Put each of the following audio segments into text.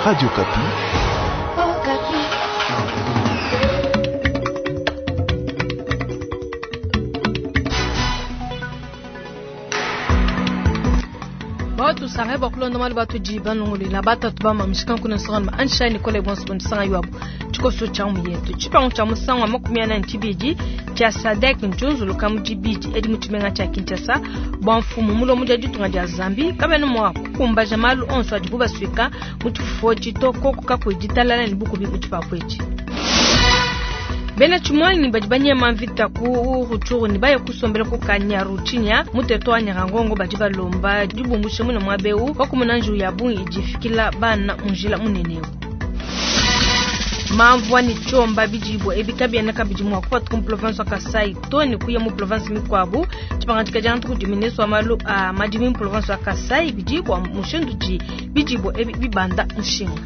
Radio Okapi. Batusangaye bakulonda malu batudi banongolola batatu bamamishika nkuna nsonga ansha nikole bonso bondisanga yuabu tshikoso tshia mu yetu tshipangu tshia musangu wa 42 tshia SADC ntshiunzuluka mu dibidi edi mu tshimenga tshia Kinshasa bua mfumu mulomo dia ditunga dia Zambie kabena mua kukumbaja malu onso adibu basuika mu tshifufu tshitoko kakuyi ditalala ne bukubi mu tshipapu etshi. Bena tshimuangi badi banyema mvita ku Rutshuru ne baya kusombela ku Kanyaruchinya mu territoire wa Nyiragongo badi balomba dibumbushe mune muaba eu pakumona njiwu ya bungi idi ifikila bana mu njila munene eu. Mamvua ne tshiomba bidibua ebi kabiena kabidi mua kupatuka mu province wa Kasai to ne kuya mu province mikuabu. Tshipangadika dia ntu kudi ministre wa malu a madimi mu province wa Kasai bidi bua mushindu di bidibua ebi bibanda mushinga.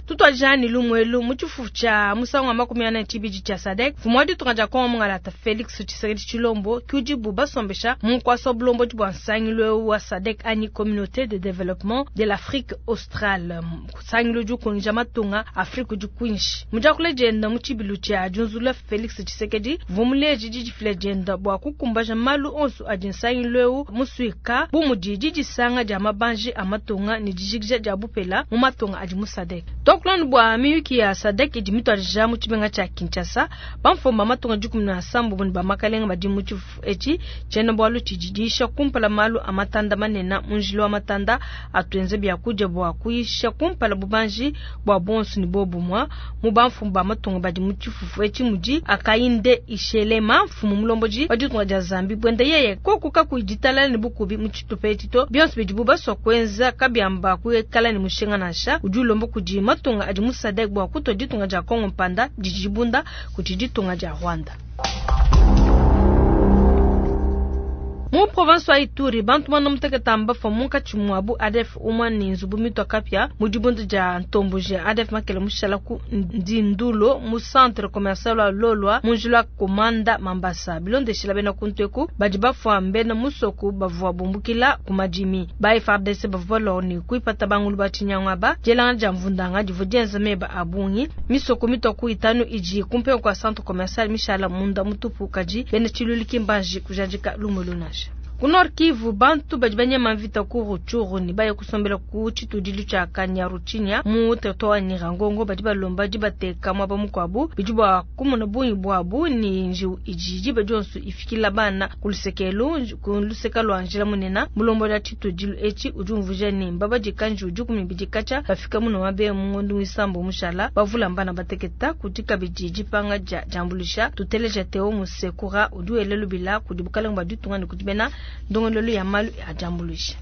Tutuadija lumuelu mu tshifufu tshia musangu wa 42 tshia SADC mfumu wa ditunga dia Kongo Mungalata Felix Tshisekedi Tshilombo kiudibu basombesha mu nkuasa wa bulombodi bua nsangilu eu wa SADC anyi Communauté de Développement de l'Afrique Australe nsangilu udi ukunja matunga Afrika udi kuinshi. Mu diakula dienda mu tshibilu tshia diunzula Felix Tshisekedi vumuleji didifila dienda bua kukumbaja malu onso adi nsangilu eu musuika bu mudi didisanga dia mabanji a matunga ne dijikija dia bupela mu matunga adi mu SADC. Tokulanu bua miyuki ya SADC idi mituadija mu tshimenga tshia Kinshasa bamfumu ba matunga 17 ne ba makalenga badi mu tshifufu etshi tshiena bualu tshidi diisha kumpala malu a matanda manene mu njila wa matanda atuenze biakudia bua kuyisha kumpala bubanji bua bonso ne bobumwa mu bamfumu ba matunga badi mu tshifufu etshi mudi Hakainde Hichilema mfumu mulombodi wa ditunga dia Zambie buenda yeye koku kakuyi ditalala ne bukubi mu tshitupa etshi to bionso bidibu basua kuenza kabiamba kuikala ne mushinga nansha udi ulomba kudi matunga adi mu SADC bua kutua ditunga dia Kongo mpanda didi dibunda kudi ditunga dia Rwanda. Mu province wa Ituri bantu bana muteketa mbafa munkatshi muabu ADF umwe ne nzubu mitwa kapia mu dibunda dia ntomboji ADF makele mushala ku Ndindulo mu centre commercial wa Lolwa mu njila komanda Mambasa bilondeshela bena kunteku badi bafwa mbena musoku bavua bumbukila ku madimi ba FARDC bavua loni kuipata bangulu ba tshinyangwa ba dielanga dia mvundanga divua dienza meba abungi misoko mitwa ku itanu idi kumpe kwa centre commercial mishala munda mutupu kadi bena tshilulu kimbanji kujadika lumwe nansha. Ku Nord Kivu bantu badi banyema mvita ku Rutshuru ne baya kusombela ku tshitudilu tshia Kanyaruchinya mu territoire wa Nyiragongo badi balomba dibateka muaba mukuabu bidi bua kumona bungi buabu ne njiwu idi diba dionso ifikila bana ku lusekelu ku luseka lua njila munene mulombo dia tshitudilu etshi udi umvuija ne mbabadika njiwu 12 katshia bafika muno mabe mu ngondo muisambo mushala bavula mbana bateketa kudi kabidi dipanga dia diambuluisha tuteleja Theo Musekura udi wela lubila kudi bukalenga bua ditunga ne kudi bena ndongololo ya malu a diambuluisha.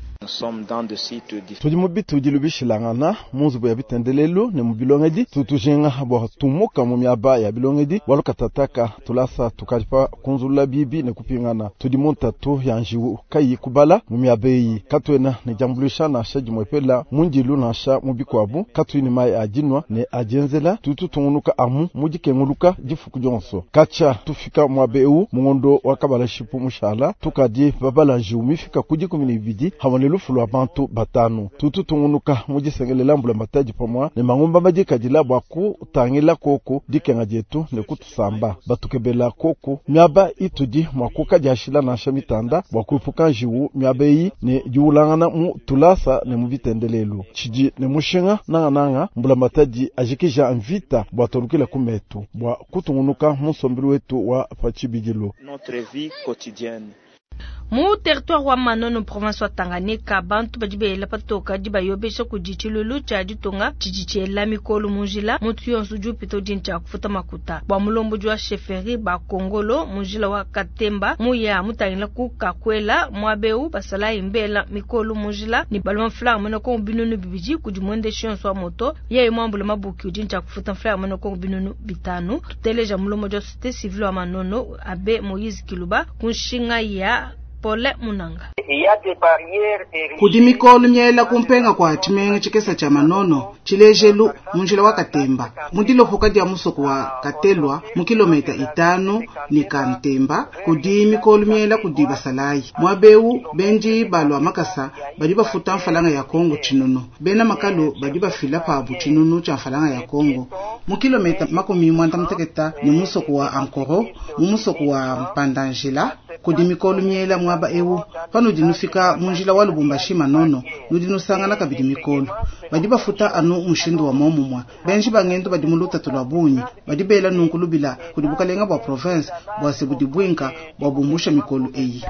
Tudi mu bitudilu bishilangana mu nzubu ya bitendelelu ne mu bilongedi tutujinga bua tumuka mu miaba ya bilongedi bualu katataka tulasa tukadi pa kunzulula bibi ne kupingana. Tudi mu ntatu ya njiwu kayi kubala mu miaba eyi katuena ne diambuluisha nansha dimwepela mu ndilu nansha mu bikuabu katuyi ne mayi a dinua ne a dienzela tututungunuka amu mu dikenguluka difuku dionso katshia tufika muaba eu mu ngondo wa kabala shipu mushala tukadi babala njiwu mifika ku 12 hamwe ne lufu lwa bantu batanu tututungunuka mu disengelela mbula matadi pamwa ne mangumba madikadila bua kutangila koku dikenga dietu ne kutusamba batukebela koku miaba itudi mua kukadiashila nansha mitanda bua kuepuka njiwu miaba eyi ne diulangana mu tulasa ne mu bitendelelu tshidi ne mushinga nangananga mbula matadi ajikija mvita bua tolukila ku metu bua kutungunuka mu nsombelu wetu wa pa tshibidilu. Notre vie quotidienne. Mu territoire wa Manono province wa Tanganyika bantu badi bela patoka di bayobesha kudi tshilulu tshia ditunga tshidi tshiela mikolo mu njila muntu yonso udi upita udi ntshia kufuta makuta bua mulombodi wa chefferie ba Kongolo mu njila wa Katemba muya mutangila ku Kakwela muabeu basalayi mbela mikolo mu njila ne baloma mfulanga mwena kongo binunu bibidi kudi mwendeshi yonso wa moto yeye mwambula mabuki udi ntshia kufuta mfulanga mwena kongo binunu bitanu. Tuteleja mulombodi wa société civile wa Manono Abe Moïse Kiluba kunshinga ya Paulin Munanga. Kudi mikolu miela kumpenga kwa tshimenga tshikesa tshia Manono, tshilejelu mu njila wa Katemba, mu dilopoka dia musoko wa Katelwa mu kilomita 5 ne Kantemba, kudi mikolu miela kudi basalayi. Mwabeu benji balwa makasa badi bafuta mfalanga ya Kongo tshinunu, bena makalu badi bafila pabu tshinunu tshia mfalanga ya Kongo. Mu kilomita 38 ne musoko wa Ankoro, mu musoko wa Mpandanjila, kudi mikolu miela mwaba ewu. Panudi nufika mu njila wa Lubumbashi Manono, nudi nusangana kabidi mikolu. Badi bafuta anu mushindu wa momumwa. Benji bangendo badi mu lutatu lwa bunyi, badi bela nunku lubila kudi bukalenga bua province bua se budi bwinka bua bumbusha mikolu eyi.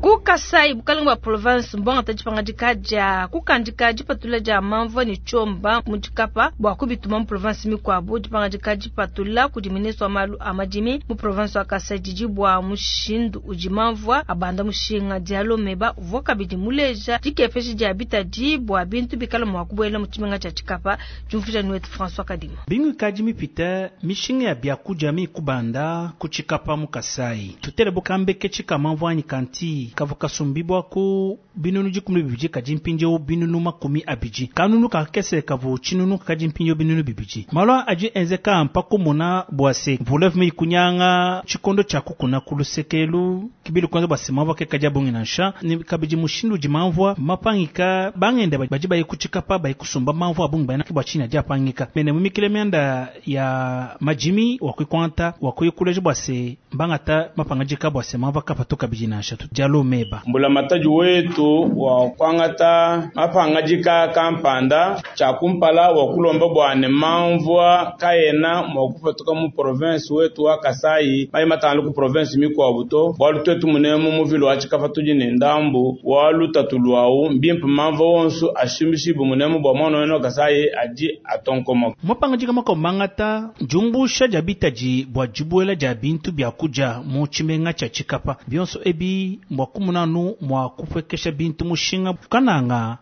Ku Kasai bukalenga bua province mbwangata dipangadika dia kukandika dipatula dia mamvua ne tshiomba mu Tshikapa bua kubituma mu province mikuabu. Dipangadika dipatula kudi ministre wa malu a madimi mu province wa Kasai didi bua mushindu udi mamvua abanda mushinga. Diallo Meba uvua kabidi muleja dikepesha dia bitadi bua bintu bikala mua kubuela mu tshimenga tshia Tshikapa. Diumvuija ni wetu François Kadima. Bingu ikadi mipite mishinga ya biakudia mikubanda ku Tshikapa mu Kasai. Tutele bukambeke tshika mamvua anyi kanti kavu kasumbibwa ku binunu 12 kadi mpindieu binunu 20. Kanunu kakese kavu tshinunu kadi mpindieu binunu 2. Malwa aji enzeka mpakumona bwase mvula mi kunyanga tshikondo tshia kukuna kulusekelu kibilu kwanza bwase mamvua ke kadi abongi nansha ni kabidi mushindu di mamvua mapangika bangende baji baye kuchikapa baye kusumba mamvua abongi bayana bwa china dia pangika mene mumikile mianda ya majimi wakuikwanta wakuyikuleje bwase mbangata mapangajika bwase mamvua kapatuka biji nansha tu meba mbula mataji wetu wa kwangata mapangajika kampanda cha kumpala wa kulomba bwane mamvua kaena mwa kupatuka mu province wetu wa Kasai mai matano ku province mikwabu to bwalu twetu munemu muvilo wa Tshikapa tudi ne ndambu wa lutatu lwawu mbimpe mamvua wonso ashimbishi munemu bwa mwana wenu Kasai aji atonkoma mapangajika mako mangata jumbusha jabitaji bwa jibuela ja bintu bya kuja mu tshimenga cha Tshikapa bionso ebi mwa kumunanu mwa kupwekesha bintu mushinga kananga.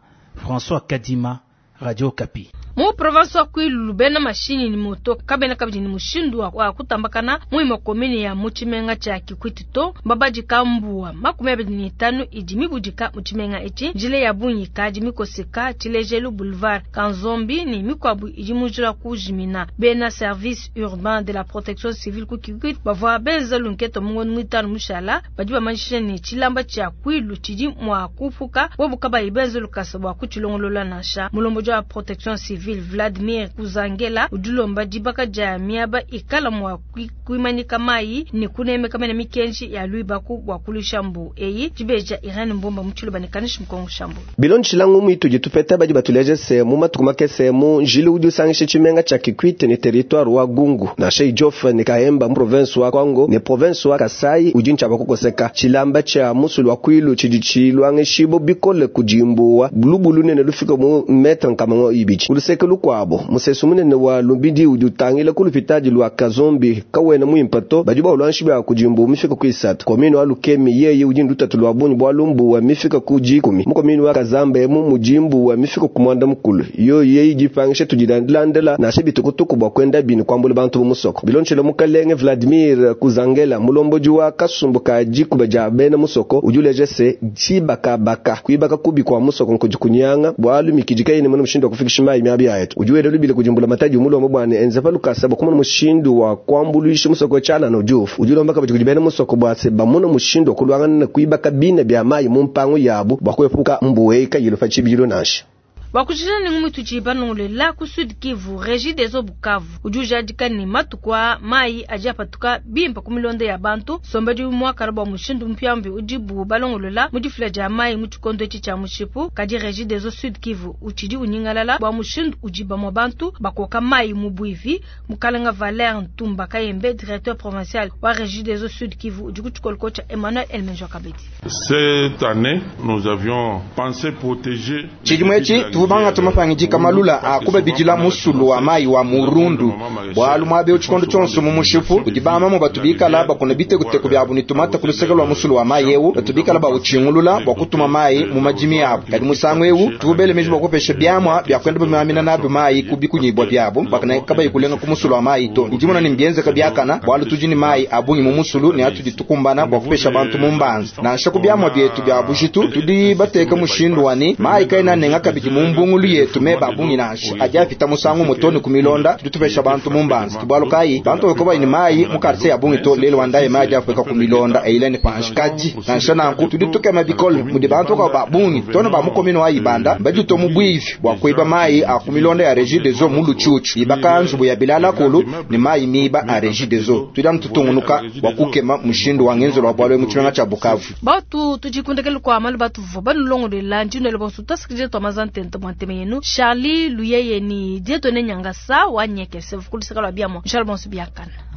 François Kadima, Radio Kapi. Mu province wa Kwilu bena mashini ni moto kabena kabidi ni mushindu wa kutambakana mu makomini ya mu tshimenga tshia Kikwit to babaji kambuwa 25 idi mibudika mu tshimenga echi njile ya bunyika di mikoseka Tshilejelu Boulevard Kanzombi ni mikwabu idi mujula kujimina. Bena service urbain de la protection civile ku Kikwit bavua benza lunketo mungu mwitano mushala badi bamanyisha ni tshilamba tshia Kwilu tshidi mwa kufuka bobuka bayibenza lukasa bwa kutshilongolola nansha mulomboji wa protection civile Vladimir Kuzangela udulomba dibaka ja miaba ikala mwa kuimanyika mai ni kunemeka mene mikenji ya luibaku bwa kulisha mbu eyi jibeja Irene Mbomba muchilo banikanishi mkongo shambu bilon chilangu mwitu jitupeta baji batuleje sehemu matukuma ke sehemu njili udi usangishe tshimenga tshia Kikwit ni territoire wa Gungu na shei Joffre ni Kahemba mu province wa Kwango ni province wa Kasai udi nchaba kukoseka tshilamba tshia musulu wa Kwilu tshidi tshilwangishibo bikole kujimbuwa bulubulu nene lufika mu metre nkamango ibichi uluseke lukwabo musesu munene wa Lumbidi udi utangila kulupitaji lwa Kazombi kawena muimpato badi baulwanshi bya kujimbu mifika ku 3 komini wa Lukemi yeye udi ndutatu lwa bunyi bwa lumbu wa mifika ku 10 mukomini wa Kazambe mu mujimbu wa mifika ku mwanda mukulu yo yeye jipangishe tujilandela na shebi tukutuku bwa kwenda bini kwambula bantu bu musoko bilonchelo mukalenge Vladimir Kuzangela mulomboji wa kasumbu ka jikuba ja bena musoko ujuleje se jibaka baka kuibaka kubi kwa musoko nkujikunyanga bwalu mikijikaine mwana mushindo kufikisha mai miabi yetu ujuwele lubile kujimbula mataji umulo bwane enze palukasa bwa kumuna mushindu wa kwambuluisha musoko chana no jufu ujulomba kabati kujibena musoko bwase bamuna mushindu wa kulwangana kuibaka bina bya mai mu mpango yabo bwa kwepuka mbuweka yilofa chibilo nashi Wakushina ni ngumi tuchibanongolela ku Sud Kivu, Regideso Bukavu. Ujujadika ni matukwa mai aja patuka bimpa kumilonde ya bantu. Somba di mwaka raba mushindu mpyambi ujibu balongolela mudifila ja mai muchikondo echi cha mushipu. Kadi Regideso Sud Kivu uchidi unyingalala bwa mushindu ujiba mwa bantu bakoka mai mubuivi. Mukalenga Valère Ntumba Kayembe, directeur provincial wa Regideso Sud Kivu, ujiku cha Emmanuel Elmenjo Kabedi. Cette année, nous avions pensé protéger Chidimwechi Tuvu bangata mapangidika malula a kubabidila musulu wa mayi wa murundu, bwalu mwabe tshikondo tshonso mu mushipu udi bamamo batu bikala bakuna bitekuteku byabu ne tumata ku luseke lwa musulu wa mayi ewu, batu bikala bawutshingulula bua kutuma mayi mu madimi abu. Kadi musangu ewu tuvubele meji bua kupesha biamua bya kwenda bamamina nabyo mayi ku bikunyibwa byabo bakana kabayi kulenga ku musulu wa mayi to. Ndi mona ne mbienzeka biakana bwalu tudi ne mayi a bungi mu musulu ne atudi tukumbana bua kupesha bantu mu mbanza. Nansha ku biamua bietu bya bujitu tudi bateka mushindu wani mayi kaena nenga kabidi mu mbungulu yetu meba a bungi nansha adi apita musangu muto ne ku milonda tudi tupesha bantu mu mbanza. Tubwalu kayi bantu bakobayi ne mayi mu quartier ya bungi to lelo wandaye mayi adi apueka ku milonda eyila ne panshi. Kadi nansha nanku tudi tukema bikole mudi bantu bakabo ba bungi tona ba mu commune wa Ibanda badito mu bwivi bua kuiba mayi a ku milonda ya Regie des Eaux mu lutshutshu ibaka nzubu ya bilala kulu ne mayi miba a Regie des Eaux. Tudi anu tutungunuka bua kukema mushindu wa ngenzelo wa bwalu mu tshimenga tshia Bukavu. Batu tudikundekele kwa malu batu vua banulongolola ndinwele bonso tasikije twa mazantente bua nteme yenu Charlie Luyeye ni Dieudonné Nyangasa wa Nyekese vukuluseka lwa biamua nshala bonso biakana.